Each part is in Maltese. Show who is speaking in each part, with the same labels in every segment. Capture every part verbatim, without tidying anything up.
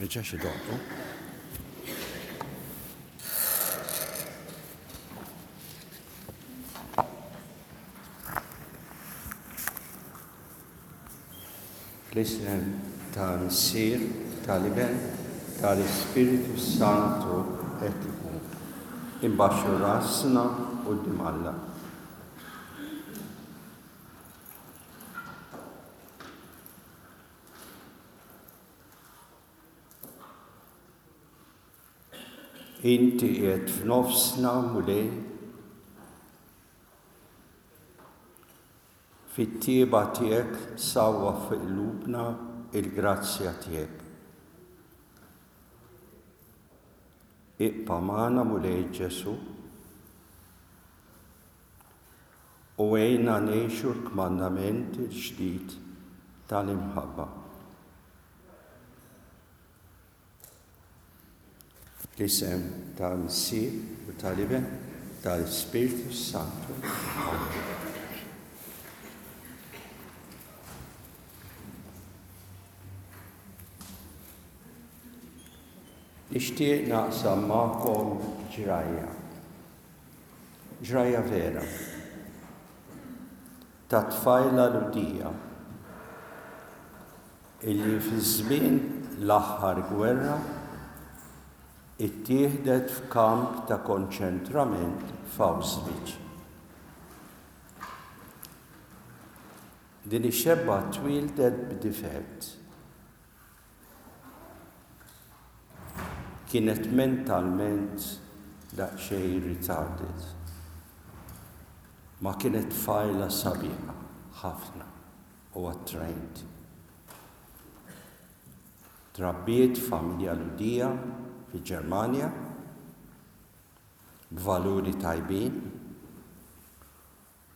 Speaker 1: reġax idoqqu. Fl-isem tal-Missier, tal-Iben, tal-Ispirtu Santu, hekk ikun. Imbaxxu rasna quddiem Alla. Inti qiegħed f'nofsna, Mulej, fit-tjieba tiegħek sawwa fuq qlubna il-grazzja tiegħek. Ibqa' magħna, Mulej Ġesu, u għinna ngħixu l-kmandament il-ġdid tal-imħabba. L-isem tal-Missier u tal-Iben tal-Ispirtu Santu. Amen. Nixtieq naqsam magħkom ġrajja. Ġrajja vera. Ta' tfajla Lhudija illi fi żmien l-aħħar gwerra ittieħdet f'kamp ta' konċentrament f'Auschwitz. Din ix-xebba twieldet b'difett. Kienet mentalment daqsxejn retarded. Ma kienet tfajla sabiħa ħafna u attraenti. Trabbiet familja Lhudija fil-Ġermanja b'valuri tajbin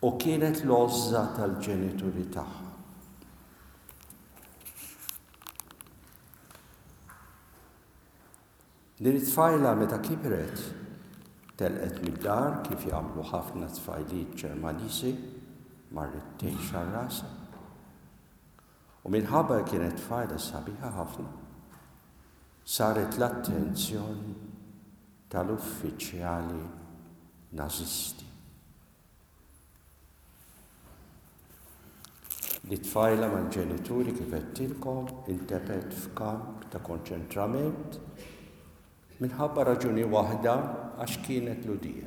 Speaker 1: u kienet l-għożża tal-ġenituri tagħha. Din it-tfajla meta kibret telqet mid-dar kif jagħmlu ħafna tfajliet Ġermaniżi, marret tgħix għal rasha. U minħabba kienet tfajla sabiħa ħafna, saret l-attenzjoni tal-uffiċjali nazisti. Li tfajla mal-ġenituri kif għedtilkom intefgħet f'kamp ta' konċentrament minħabba raġuni waħda, għax kienet Lhudija.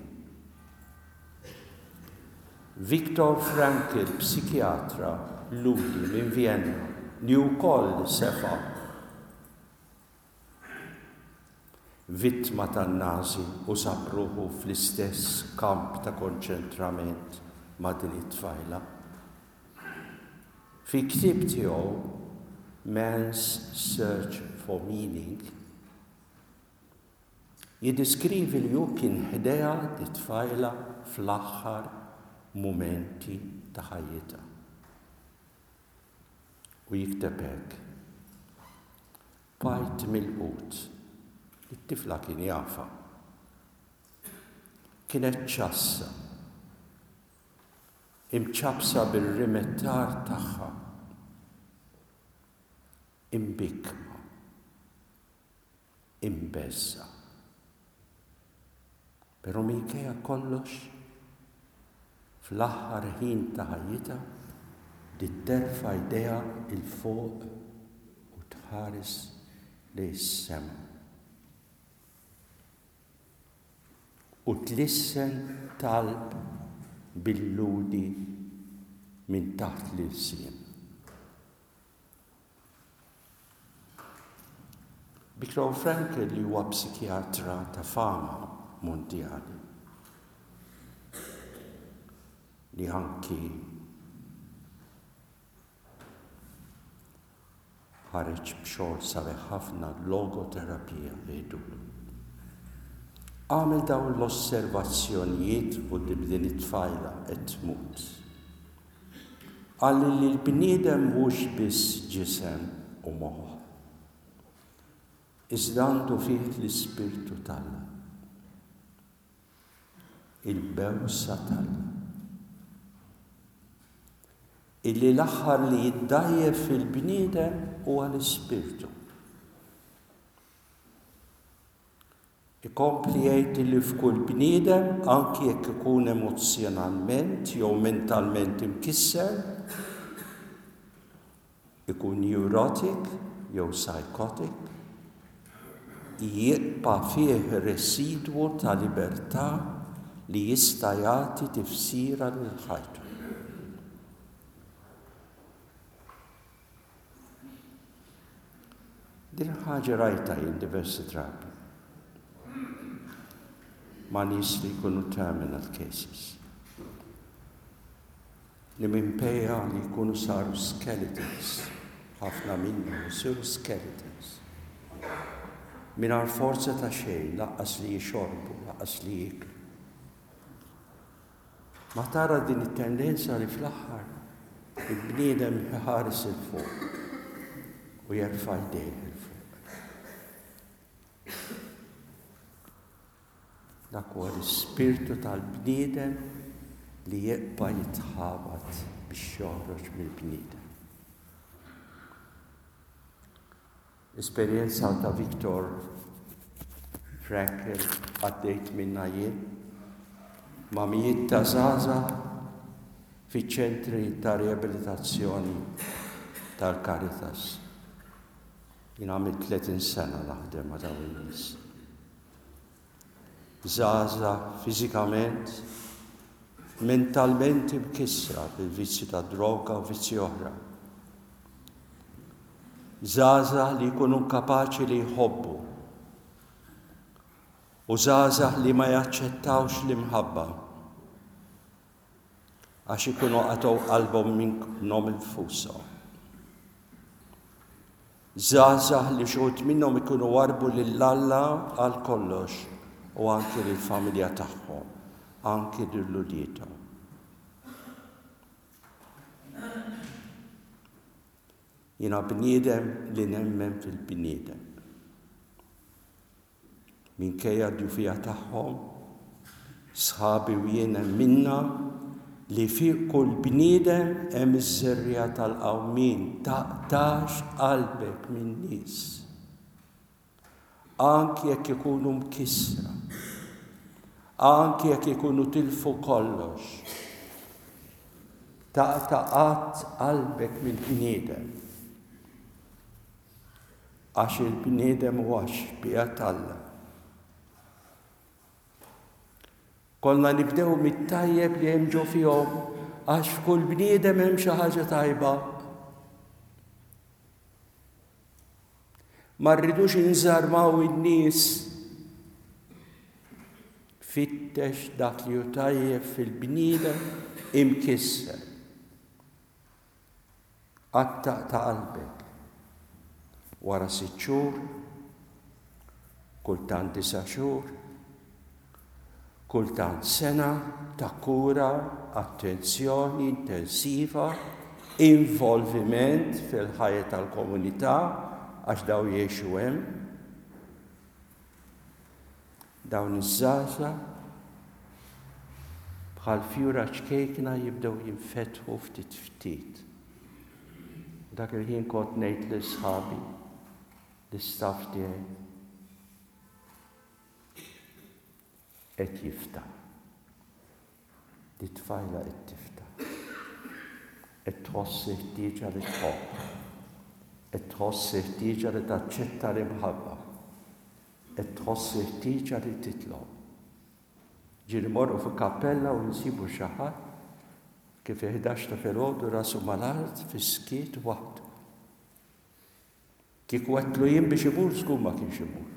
Speaker 1: Viktor Frankl, psikjatra Lhudi minn Vienna, li wkoll sefa vittma tan-Nazi u sab ruħu fl-istess kamp ta' konċentrament ma' din it-tfajla. Fi ktieb tiegħu Man's Search for Meaning jiddeskrivi li hu kien ħdejha t-tfajla fl-aħħar mumenti ta' ħajjitha. U jikteb hekk: Bqajt milqut, it-tifla kien jafha. Kienet ċassa, imċapsa bil-rimettar tagħha, imbikma, imbeżża'. Però minkejja kollox, fl-aħħar ħin ta' ħajjitha, bdiet terfa' jdejha 'l fuq u tħares lejn is-sema. U tlissen talb bil-Lhudi minn taħt l-ilsien. Viktor Frankl, li huwa psikjatra ta' fama mondjali, li anki ħareġ b'xogħol sabiħ ħafna logoterapija jgħidulu. Għamel dawn l-osservazzjonijiet quddiem din it-tfajla qed tmut. Qal li l-bniedem mhux biss ġisem u moħħ, iżda għandu fih l-Ispirtu t'Alla, il-bewsa t'Alla, illi l-aħħar li jiddajjef fil-bniedem huwa l-Ispirtu. Ikompli jgħid li f'kull bniedem, anki jekk ikun emozzjonalment jew mentalment imkisser, ikun neurotic jew psychotic, jibqa' fih residwu ta' libertà li jista' jagħti tifsira lil ħajtu. Din ħaġa rajta jien diversi drabi ma' nies li jkunu terminal cases, li minkejja li jkunu saru skeletons, ħafna minnhom isiru skeletons, mingħajr forza ta' xejn, lanqas li jixorbu, lanqas li jieklu. Ma tara din it-tendenza li fl-aħħar il-bniedem ħares 'il fuq u jerfa' jdejh 'il fuq. Dak huwa l-ispirtu tal-bniedem li jibqa' jitħabat biex joħroġ mill-bniedem. Esperjenza ta' Viktor Frankl għaddejt minna jien ma' mijiet ta' żgħażagħ fiċ-ċentri ta' riabilitazzjoni tal-Caritas. Jien għamilt tletin sena naħdem ma' dawn in-nies. Żgħażagħ fiżikament, mentalment imkissra bil-vizzju ta' droga u vizzji oħra. Żgħażagħ li jkunu kapaċi li jħobbu u żgħażagħ li ma jaċċettawx l-imħabba għax ikunu qatgħu qalbhom minnhom infushom. Żgħażagħ li xi wħud minnhom ikunu warbu lil Alla għal kollox u anki lill-familja tagħhom, anki lil uliedhom. Jiena bniedem li nemmen fil-bniedem. Minkejja d-djufija tagħhom, sħabi u jien emminna li fi kull bniedem hemm iż-żerriegħa tal-qawmien, taqtax qalbek min-nies. Anki jekk ikunu mkissra, anki jekk ikunu tilfu kollox, taqta' qatt qalbek mill-bniedem. Għax il-bniedem huwa xbieha t'Alla. Kollna nibdew mit-tajjeb li hemm ġo fihom, għax f'kull bniedem hemm xi ħaġa tajba. Ma rridux inżarmaw in-nies. Fittex dak li hu tajjeb fil-bniedem imkisser. Qatt taqta' qalbek. Wara sitt xhur, kultant disa' xhur, kultant sena ta' kura, attenzjoni intensiva, involviment fil-ħajja tal-komunità, għax daw jgħixu hemm. Dawn iż-żgħażagħ bħal fjura ċkejkna jibdew jinfetħu ftit ftit. Dak il-ħin kont ngħid lil sħabi, l-istaff tiegħi, qed jiftaħ. Di tfajla qed tiftaħ. Qed tħoss ħtieġa li tħobb. Qed tħoss ħtieġa li taċċetta l-imħabba. Qed tħoss ħtieġa li titlob. Ġieli morru fi kappella u nsibu xi ħadd kif ħdax ta' filgħodu rasu mal-art fis-skiet waħdu. Kieku għedtlu jien biex imur, żgur ma kienx imur.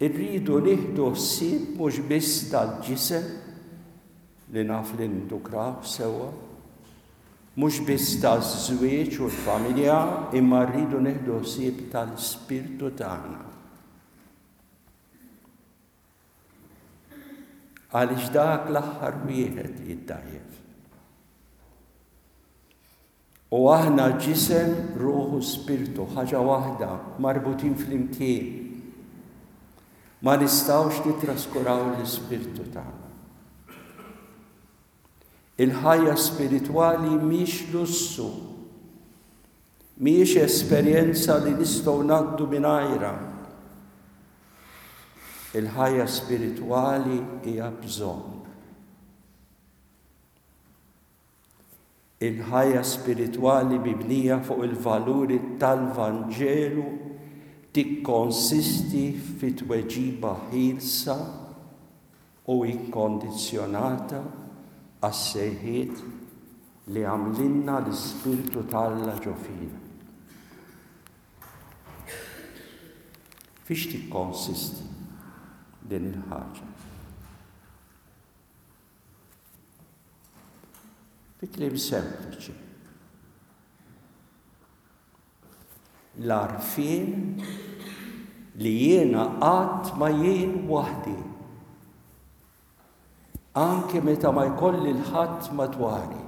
Speaker 1: Irridu nieħdu ħsieb mhux biss tal-ġisem li naf li nindukraw sewwa, mhux biss taż-żwieġ u l-familja, imma rridu nieħdu ħsieb tal-ispirtu tagħna. Għaliex dak l-aħħar wieħed li jiddajjef. U aħna ġisem, ruħ u spirtu, ħaġa waħda, marbutin flimkien. Ma nistgħux nittraskuraw l-ispirtu tagħna. Il-ħajja spiritwali mhix lussu, mhijiex esperjenza li nistgħu ngħaddu mingħajrha. Il-ħajja spiritwali hija bżonn. Il-ħajja spiritwali mibnija fuq il-valuri tal-Vanġelu tikkonsisti fi tweġiba ħielsa u inkondizzjonata għas-sejħiet li għamlilna l-Ispirtu t'Alla ġo fina. Fiex tikkonsisti din il-ħaġa? Fi kliem sempliċi. L-għarfien li jiena qatt ma jien waħdi. Anke meta ma jkolli l-ħadd madwari.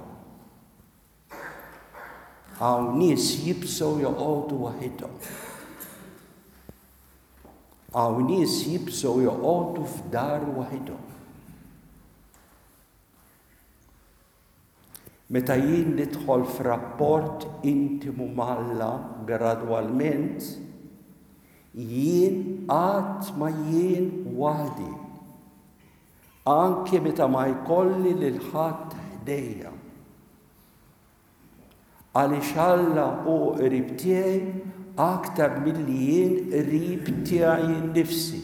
Speaker 1: Hawn nies jibżgħu joqogħdu waħidhom. Hawn nies jibżgħu joqogħdu f'dar waħidhom. Meta jien nidħol f'rapport intimu m'Alla gradwalment, jien qatt ma jien waħdi. Anke meta ma jkolli lil ħadd ħdejja. Għaliex Alla hu qrib tiegħi aktar milli jien qrib tiegħi nnifsi.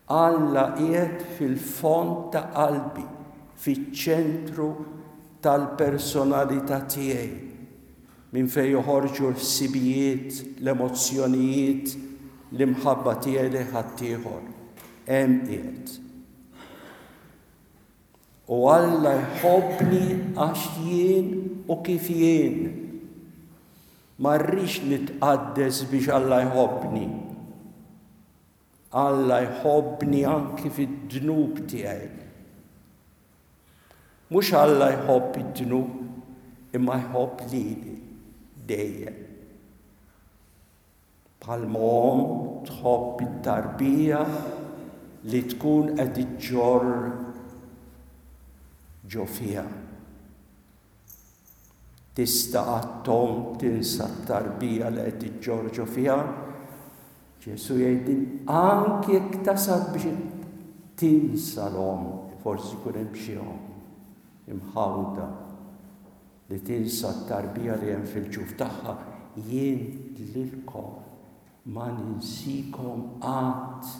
Speaker 1: Alla qiegħed fil-fond ta' qalbi, fiċ-ċentru tal-personalità tiegħi, minn fejn joħorġu l-ħsibijiet, l-emozzjonijiet, l-imħabba tiegħi lejn ħaddieħor. Hemm qiegħed. U Alla jħobbni għax jien u kif jien. Ma rridx nitqaddes biex Alla jħobbni. Alla jħobbni anki fid-dnub tiegħi. Mhux Alla jħobb id-dnub, imma jħobb lili dejjem. Bħalma omm tħobb it-tarbija li tkun qed iġġorr ġo fiha. Tista' qatt omm tinsa t-tarbija li qed iġġorr ġo fiha? Ġesu jgħid anki jekk tasal biex tinsa l-omm, forsi jkun hemm xi omm imħawda li tinsa t-tarbija li hemm fil-ġuf tagħha, jien lilkom ma ninsikom qatt,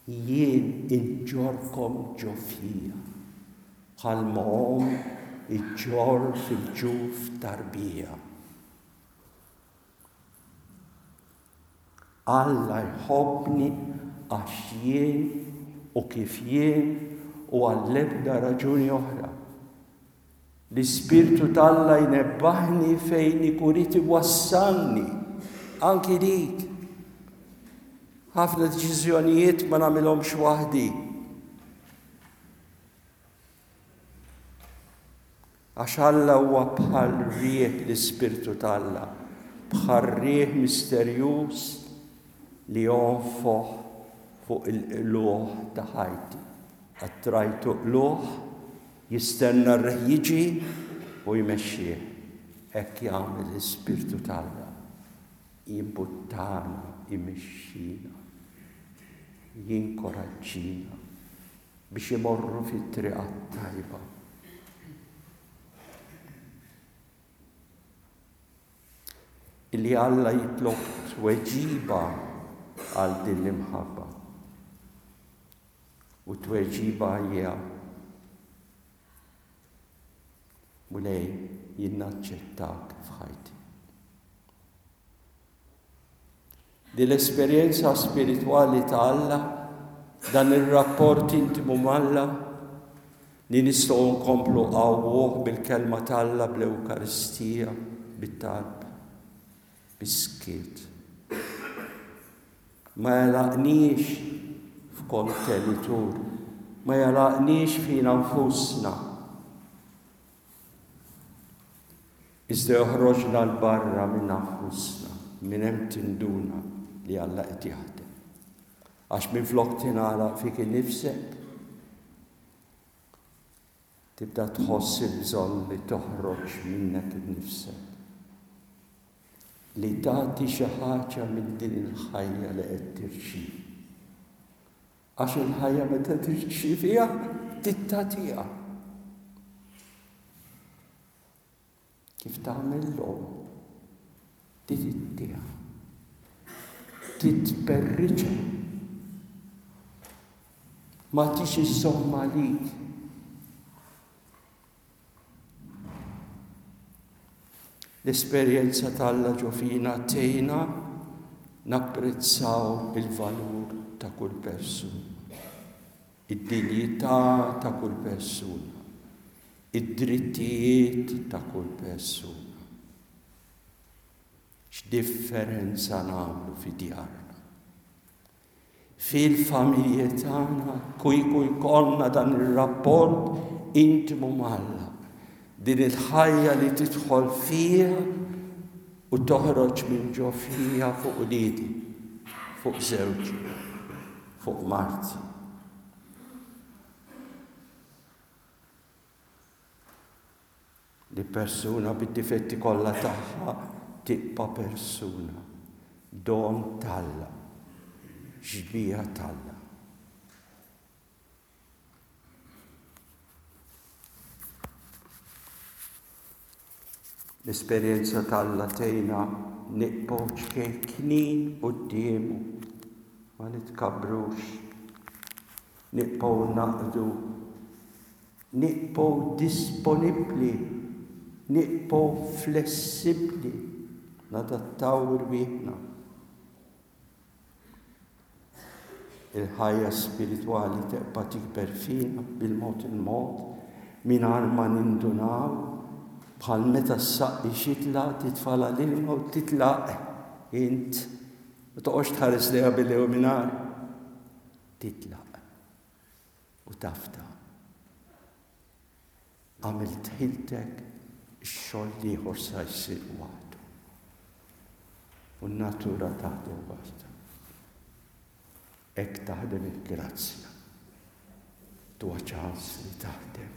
Speaker 1: jien inġorrkom ġo fija. Bħalma omm iġġorr fil-ġuf tarbija. Alla jħobbni għax jien u kif jien u għall-ebda raġuni oħra. L-Ispirtu t'Alla jnebbaħni fejn ikun irid iwassalni, anki dik. Ħafna deċiżjonijiet ma nagħmilhomx waħdi. Għax Alla huwa bħal riħ l-Ispirtu t'Alla, bħal riħ misterjuż li jonfoħ fuq il-qlugħ ta' ħajti. Attrajtu qlugħ, jistenna r-riħ jiġi u jmexxih. Hekk jagħmel l-Ispirtu t'Alla. Jimbuttana, jmexxina, jinkoraġġina biex imorru fit-triq tajba. Illi Alla jitlob tweġiba għal din l-imħabba. U tweġiba hija Mulej, jien naċċettak f'ħajti. Din l-esperjenza spiritwali ta' Alla, dan ir-rapport intimu m'Alla, li nistgħu nkomplu qawwuh bil-kelma t'Alla, bl-Ewkaristija, bit-talb, bis-skiet. Ma jalaqniex f'kontenitur, ma jalaqniex fina nfusna. Iżda joħroġna 'l barra minn nfusna, minn hemm tinduna li Alla qed jaħdem. Għax minflok tingħalaq fik innifsek, Tibda tħoss il-bżonn li toħroġ minnek innifsek. Li tagħti xi ħaġa minn din il-ħajja li qed tirċievi. Għax il-ħajja meta tirċieviha tagħtiha. Kif tagħmel l-omm, tittiha, titperriċa. Ma tix iżżomm għalik. L-esperjenza t'Alla ġo fina tgħinna napprezzaw il-valur ta' kull persuna, id-dinjità ta' kull persuna, id-drittijiet ta' kull persuna. X'differenza nagħmlu fi djarna, fil-familji tagħna, kieku jkollna dan ir-rapport intimu m'Alla, din il-ħajja li tidħol fija u toħroġ minn ġo fija fuq uliedi, fuq żewġi, fuq marti. Li persuna bid-difetti kollha tagħha tibqa' persuna, don t'Alla, xbieha t'Alla. L-esperjenza t'Alla tgħinna nibqgħu ċkejknin quddiemu, ma nitkabbrux, nibqgħu naqdu, nibqgħu disponibbli, nibqgħu flessibbli, nadattaw irwieħna. Il-ħajja spiritwali tibqa' tikber fina bil-mod il-mod, mingħajr ma nindunaw, bħal meta ssaqqi xitla titfala l-ilma u titlaq int, ma toqgħodx tħares lejha billi u mingħajr, titlaq u tafta. Għamilt ħiltek, ix-xogħol l-ieħor sa jsir waħdu. U n-natura taħdem waħda. Hekk taħdem il-grazzja. Tuha ċans li taħdem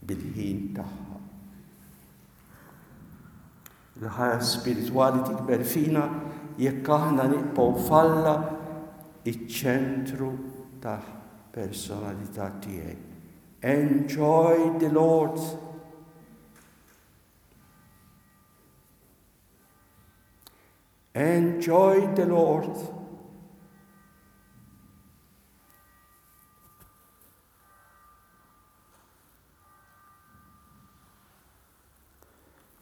Speaker 1: bil-ħin tagħha. Il-ħajja spiritwali tikber fina jekk aħna nibqgħu f'Alla iċ-ċentru ta' personalità tiegħi. Enjoy the Lord. Enjoy the Lord.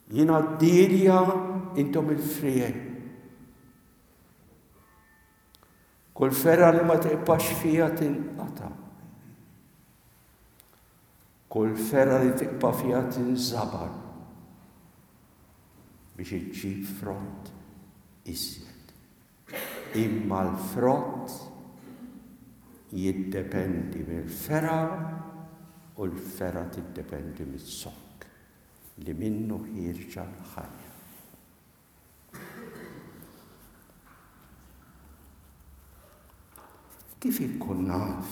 Speaker 1: Jiena d-dielja, intom il-friegħi. Kull fergħa li ma tibqax fija tinqata'. Kull fergħa li tibqa' fija tinżabar biex iġġib frott iżjed. Imma l-frott jiddependi mill-fergħa u l-fergħa tiddependi miz-zokk li minnu ħierġa l-ħajja. Kif inkun naf,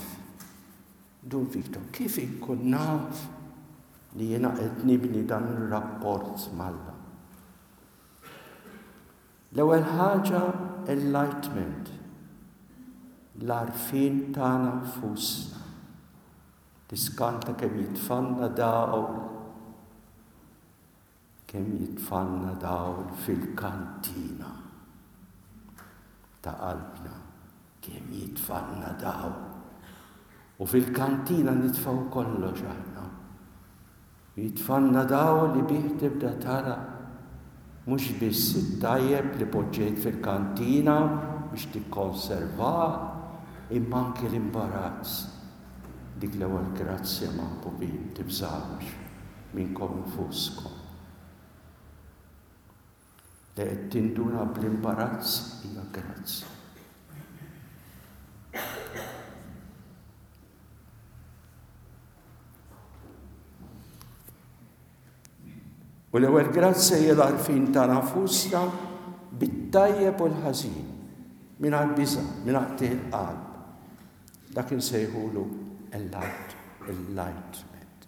Speaker 1: Dun Vito, kif inkun naf li jiena qed nibni dan ir-rapport m'Alla? L-ewwel ħaġa, enlightenment, l-għarfien tagħna nfusna. Tiskanta kemm jitfanna dawl, kemm jitfanna dawl fil-kantina ta' qalbna, kemm jitfanna dawl. U fil-kantina nitfgħu kollox aħna. Jitfanna dawl li bih tibda tara mhux biss it-tajjeb li poġġejt fil-kantina biex tikkonservah, imma anke l-imbarazz. Dik l-ewwel grazzja maħbubin, tibżgħux minnkom infuskom. Li qed tinduna bl-imbarazz hija grazzja. U l-ewwel grazzja hija l-għarfien ta' nafusna bit-tajjeb u l-ħażin, mingħajr biża', mingħajr qtigħ il-qalb. Dak insejħulu enlightenment.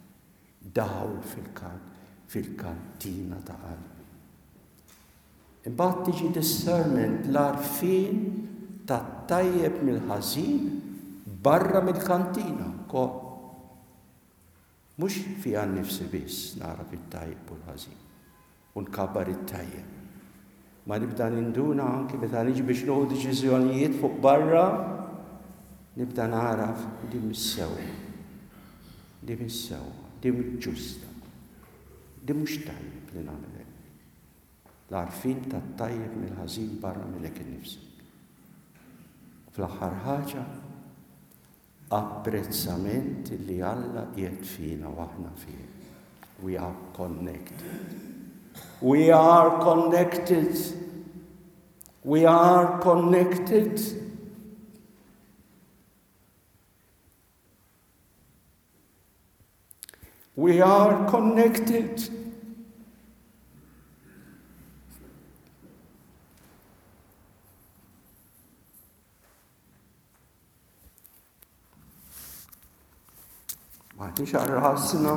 Speaker 1: Dawl fil-kantina ta' qalbi. Imbagħad tiġi discernment, l-għarfien tat-tajjeb mill-ħażin barra mill-kantina wkoll. Mhux fiha nnifsi biss nagħraf it-tajjeb u l-ħażin u nkabbar it-tajjeb. Ma nibda ninduna anki meta niġi biex nieħu deċiżjonijiet fuq barra, nibda nagħraf di mhix sewwa, di mhix sewwa, di mhix ġusta, di mhux tajjeb li nagħmel hekk. L-għarfien tat-tajjeb mill-ħażin barra minnek innifsek. Fl-aħħar ħaġa, apprezzament li Alla qiegħed fina u aħna fih. We are connected. We are connected. We are connected. We are connected. M'aħniex għal rasna.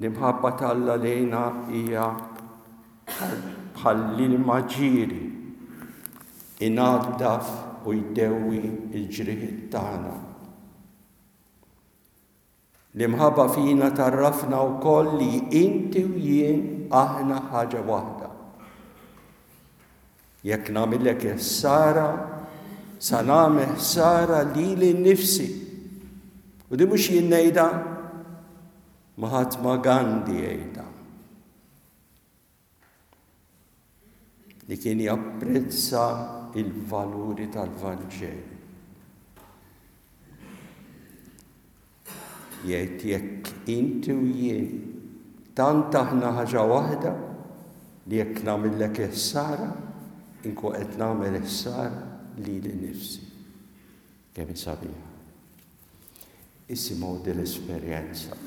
Speaker 1: L-imħabba t'Alla lejna hija bħall-ilma ġieri, inaddaf u jdewwi l-ġrieħiet tagħna. L-imħabba fina tarrafna wkoll li inti u jien aħna ħaġa waħda. Jekk nagħmillek ħsara, sa nagħmel ħsara lili nnifsi. U di mhux jien ngħidha, Mahatma Gandhi jgħidha. Li kien japprezza il-valuri tal-Vanġelu. Jgħid jekk inti u jien tant aħna ħaġa waħda li jekk nagħmillek ħsara, inkun qed nagħmel ħsara lili nnifsi. Kemm sabiħa. Isimgħu din l-esperjenza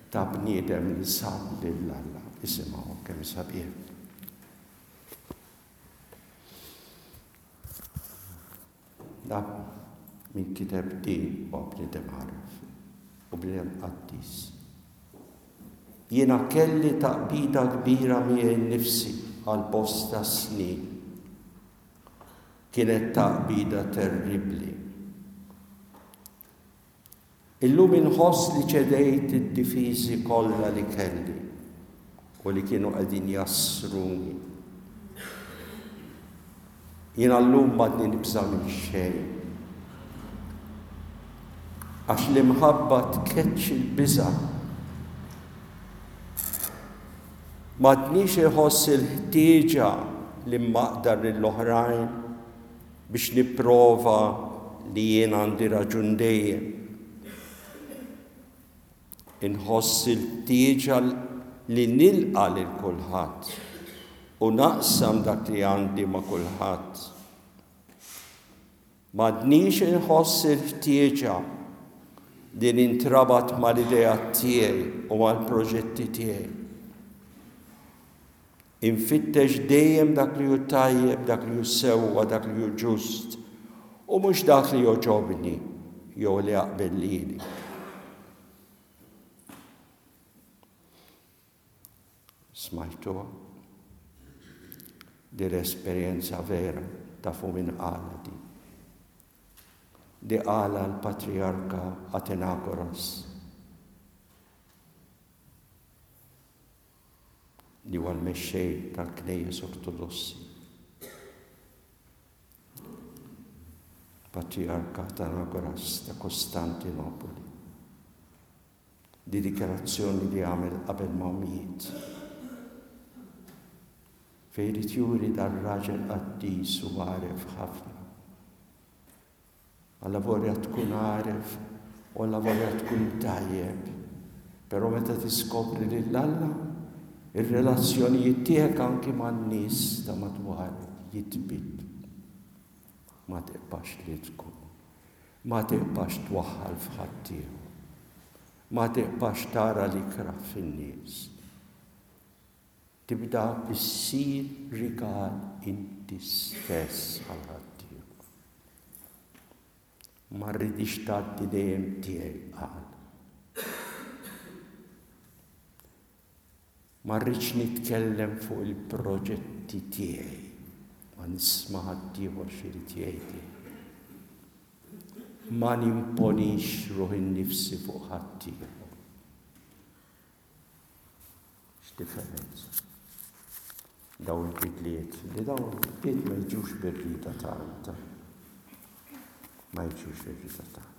Speaker 1: ta' bniedem li sab lil Alla. Isimgħu kemm sabiħ. Da min kiteb din huwa bniedem għaref u bniedem qaddis. Jiena kelli taqbida kbira miegħi nnifsi għal bosta snin. Kienet taqbida terribbli. Illum inħoss li ċedejt id-difiżi kollha li kelli u li kienu qegħdin jassruni. Jiena llum m'għadni nibża' minn xejn. Għax l-imħabba tkeċċi l-biża'. M'għadnix iħoss il-ħtieġa li mmaqdar lill-oħrajn biex nipprova li jien għandi raġun dejjem. Inħoss il-ħtieġa li nilqa' lil kulħadd u naqsam dak li għandi ma' kulħadd. M'għadnix inħoss il-ħtieġa li nintrabat mal-idea tiegħi u mal-proġetti tiegħi. Infittex dejjem dak li hu tajjeb, dak li hu sewwa, dak li hu ġust, u mhux dak li jogħġobni jew li jaqbel lili. Smajtuha? Di l-esperjenza vera tafu min qala di. Di qala l-Patriarka Atenagoras, li huwa l-mexxej tal-Knejjes Ortodossi. Patriarka Atenagoras ta' Kostantinopoli. Di dikjarazzjoni li għamel qabel ma miet. Fejn irid juri dar-raġel qaddis u għaref ħafna. Alla vorja tkun għaref u alla vorja tkun tajjeb. Però meta tiskopri lil Alla, ir-relazzjonijiet tiegħek anki man-nies ta' madwarek jitbidlu. Ma tibqax li tkun. Ma tibqax twaħħal f'ħaddieħor. Ma tibqax tara l-ikrah fin-nies. Tibda issir rigal inti stess għal ħaddieħor. Ma rridix tgħaddi dejjem tiegħi, qal. Ma rridx nitkellem fuq il-proġetti tiegħi, ma nisma' ħaddieħor x'irid jgħidli. Ma nimponix ruħi nnifsi fuq ħaddieħor. X'differenza. Dawn il-bidliet, li dawn il-bidliet ma jiġux bir-rieda tagħna. Ma jiġux bir-rieda tagħna.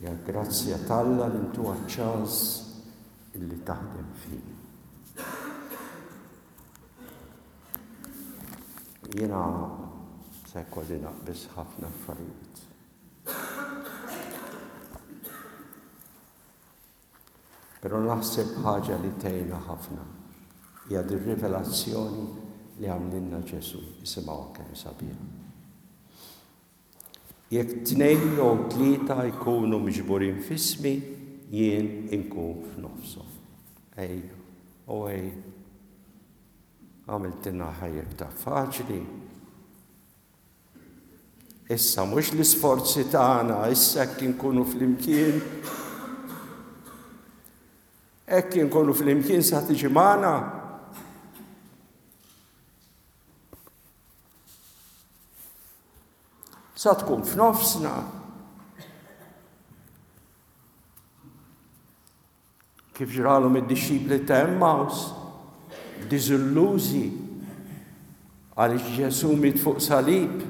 Speaker 1: Ja grazzja t'Alla li ntuha ċans illi taħdem fina. Jiena se jkolli naqbeż ħafna affarijiet. Però naħseb ħaġa li tgħinna ħafna hija dir-rivelazzjoni li għamlilna Ġesù. Isimgħuha kemm sabiħa. Jekk tnejn jew tlieta jkunu miġburin f'ismi, jien inkun f'nofshom. Ejja, u ej, għamiltilna ħajja iktar faċli. Issa mhux l-isforzi tagħna, issa hekk inkunu flimkien. Hekk inkunu flimkien sa tiġi magħna. Sa tkun f'nofsna. Kif ġralhom id-dixxipli ta' Emmaus, diżillużi għaliex Ġesù miet fuq salib.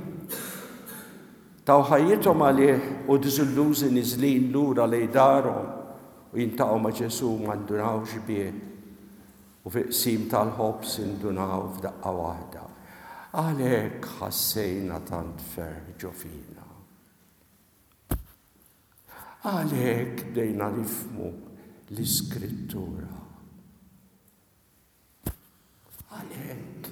Speaker 1: Taw ħajjithom għalih u diżillużi niżlin lura lejn darhom u jintaqgħu ma' Ġesù ma ndunawx bih. U fi qsim tal-ħobż indunaw f'daqqa waħda. Għalhekk ħassejna tant ferħ ġo fina. Għalhekk bdejna nifhmu l-Iskrittura. Għalhekk.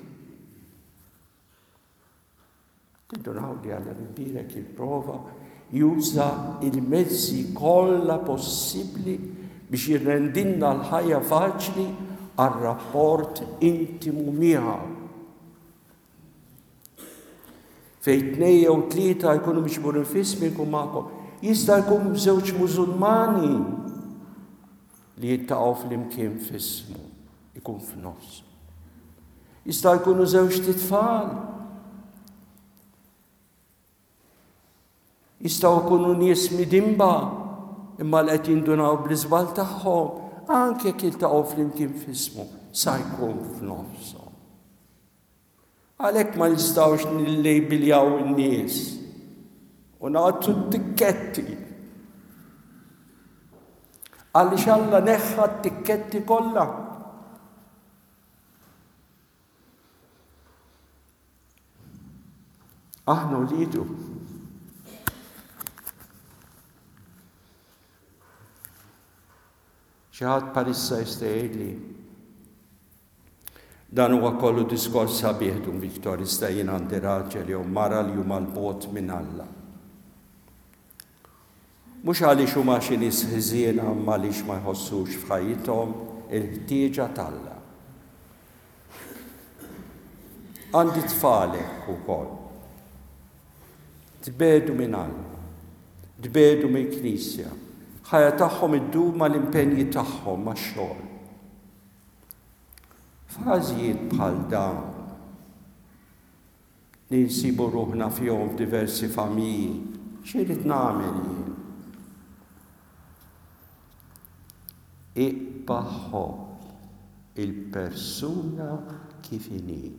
Speaker 1: Tindunaw li Alla l-Imbierek jipprova juża il-mezzi kollha possibbli biex jirrendilna l-ħajja faċli għar-rapport intimu miegħu. Fejn tnejn jew tlieta jkunu miġburin f'ismi jkun magħkom. Jista' jkun żewġ Musulmani li jiltaqgħu flimkien f'ismu, ikun f'nofs. Jista' jkunu żewġ titfal. Jistgħu jkunu nies midinba imma li qed jindunaw bl-iżball tagħhom, anke jekk jiltaqgħu flimkien f'ismu, sa jkun f'nofshom. Għalhekk ma nistgħux nillejbiljaw in-nies u nagħtu t-tikketti. Għaliex Alla neħħa t-tikketti kollha. Aħna wliedu. Xi ħadd bħalissa jista' jgħidli, dan huwa kollu diskors sabiħ Dun Victor, iżda jien għandi raġel jew mara li huma 'l bogħod minn Alla. Mhux għaliex huma xi nies ħżiena imma għaliex ma jħossux f'ħajjithom il-ħtieġa t'Alla. Għandi tfal hekk ukoll. Tbegħdu minn Alla, tbegħdu mill-Knisja, ħajja tagħhom iddur mal-impenji tagħhom max-xogħol. F'każijiet bħal dawn li nsibu ruħna fihom f'diversi familji, x'irid nagħmel jien? Iqba' ħobb il-persuna kif inhi.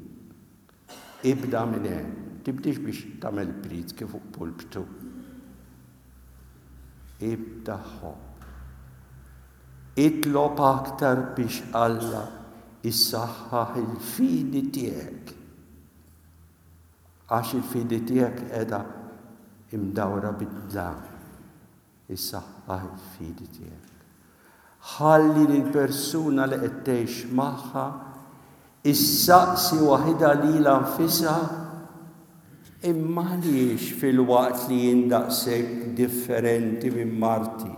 Speaker 1: Ibda minn hemm, tibdiex biex tagħmel prietki fuq pulptu. Ibda ħobb. Itlob aktar biex Alla jsaħħaħ il-fidi tiegħek. Għax il-fidi tiegħek qiegħda imdawra bid-dlam. Isaħħaħ il-fidi tiegħek. Ħalli lill-persuna li qed tgħix magħha issaqsi waħidha lilha nfisha, imma għaliex filwaqt li jien daqshekk differenti minn marti,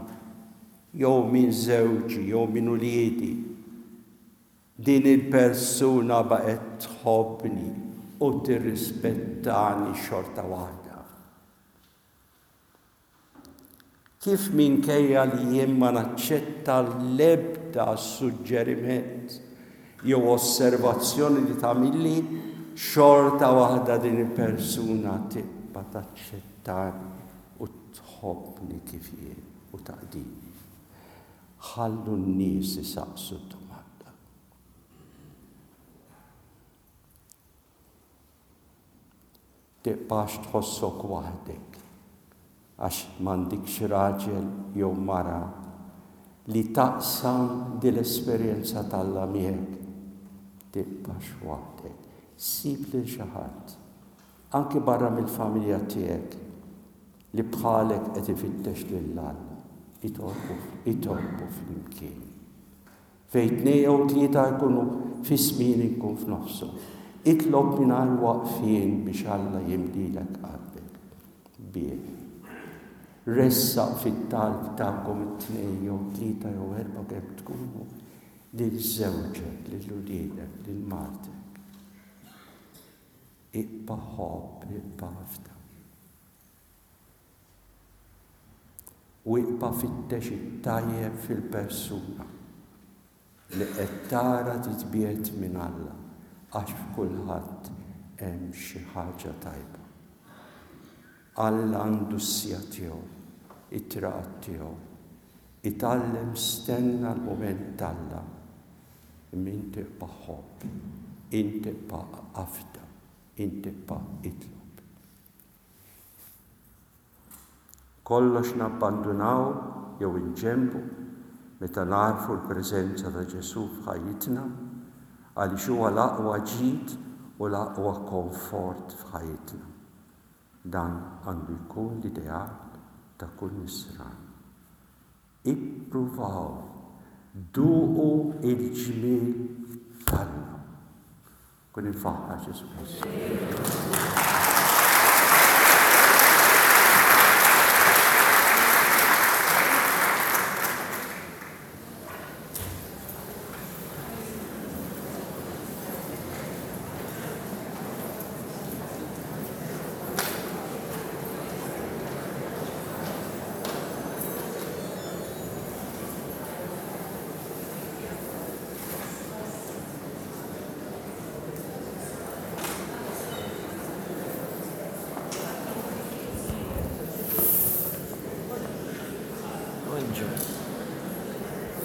Speaker 1: jew minn żewġi, jew minn uliedi, din il-persuna baqgħet tħobbni u tirrispettani xorta waħda. Kif minkejja li jien ma naċċetta l-ebda suġġeriment jew osservazzjoni li tagħmilli, xorta waħda din il-persuna tibqa' taċċettani u tħobbni kif jien u taqdini. Ħallu n-nies isaqsu d-domanda. Tibqax tħossok waħdek għax m'għandikx raġel jew mara li taqsam din l-esperjenza t'Alla miegħek. Tibqax waħdek. Sib lil xi ħadd, anki barra mill-familja tiegħek, li bħalek qed ifittex lil Alla. Itolbu, itolbu flimkien. Fejn tnejn jew tlieta jkunu f'ismi jien inkun f'nofshom. Itlob mingħajr waqfien biex Alla jimlilek qalbek bih. Ressaq fit-talb tagħkom it-tnejn jew tlieta jew erba' kemm tkunu lil żewġek, lil uliedek, lil martek. Ibqa' ħobb, ibqa' afda. U ibqa' fittex it-tajjeb fil-persuna li qed tara titbiegħed minn Alla, għax f'kulħadd hemm xi ħaġa tajba. Alla għandu s-siegħa tiegħu, it-triqat tiegħu. Itgħallem stenna l-mument t'Alla. Imma inti ibqa' ħobb, inti ibqa' afda, inti ibqa' itlob. Kollox nabbandunaw jew inġenbu meta nagħrfu l-preżenza ta' Ġesù f'ħajjitna, għaliex huwa l-aqwa ġid u l-aqwa komfort f'ħajjitna. Dan għandu jkun l-ideal ta' kull nisrani. Ippruvaw, duqu il-ġmiel t'Alla. Kun imfaħħar Ġesù Kristu.